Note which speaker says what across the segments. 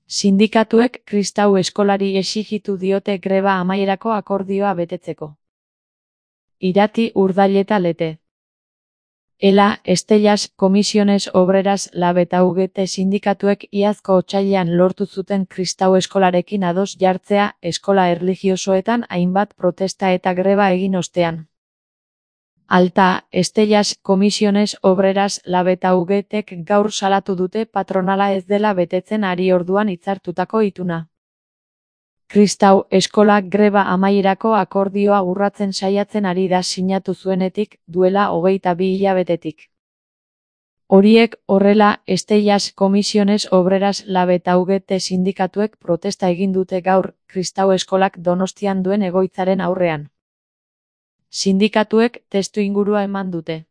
Speaker 1: Sindikatuek kristau eskolari exijitu diote greba amaierako akordioa betetzeko. Irati, Urdaileta Lete. ELA, Estellas, Comisiones Obreras, LAB eta UGT sindikatuek iazko otsailean lortu zuten kristau eskolarekin ados jartzea eskola erlijiosoetan hainbat protesta eta greba egin ostean. Alta, Estellas, Comisiones Obreras, LAB eta UGTek gaur salatu dute patronala ez dela betetzen ari orduan hitzartutako ituna. Kristau eskolak greba amaierako akordioa urratzen saiatzen ari da sinatu zuenetik, duela 22 hilabetetik. Horiek horrela, Estellas, Comisiones Obreras, LAB eta UGT sindikatuek protesta egin dute gaur, kristau eskolak Donostian duen egoitzaren aurrean. Sindikatuek testuingurua eman dute.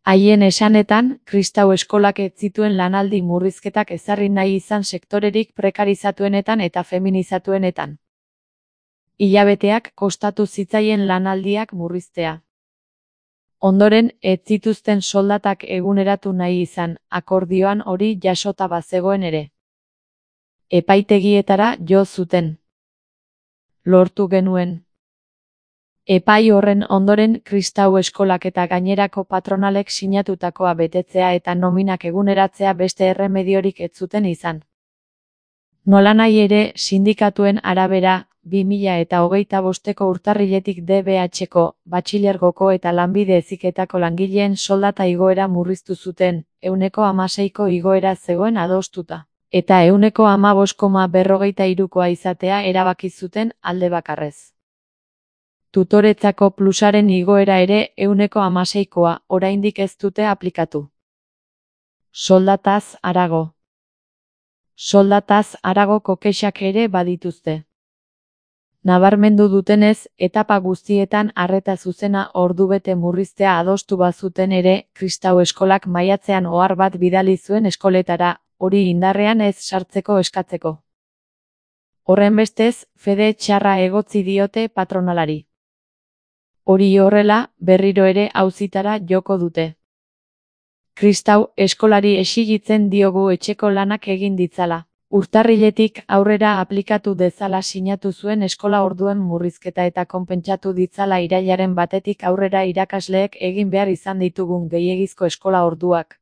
Speaker 1: Haien esanetan, kristau eskolak ez zituen lanaldi murrizketak ezarri nahi izan sektorerik prekarizatuenetan eta feminizatuenetan. Hilabeteak kostatu zitzaien lanaldiak murriztea. Ondoren, ez zituzten soldatak eguneratu nahi izan, akordioan hori jasota bazegoen ere. Epaitegietara jo zuten. Lortu genuen. Epai horren ondoren kristau eskolak eta gainerako patronalek sinatutakoa betetzea eta nominak eguneratzea beste erremediorik ez zuten izan. Nolanahi ere, sindikatuen arabera, 2025ko urtarriletik DBH-ko, batxilergoko eta lanbide heziketako langileen soldata igoera murriztu zuten, 16ko igoera zegoen adostuta, eta 15,43koa izatea erabaki zuten alde bakarrez. Tutoretzako plusaren igoera ere 16koa, oraindik ez dute aplikatu. Soldataz harago. Soldataz haragoko kexak ere badituzte. Nabarmendu dutenez, etapa guztietan arreta zuzena ordubete murriztea adostu bazuten ere, kristau eskolak maiatzean ohar bat bidali zuen eskoletara, hori indarrean ez sartzeko eskatzeko. Horrenbestez, fede txarra egotzi diote patronalari. Hori horrela, berriro ere auzitara joko dute. Kristau eskolari exigitzen diogu etxeko lanak egin ditzala. Urtarriletik aurrera aplikatu dezala sinatu zuen eskola orduen murrizketa eta konpentsatu ditzala irailaren 1 aurrera irakasleek egin behar izan ditugun gehiegizko eskola orduak.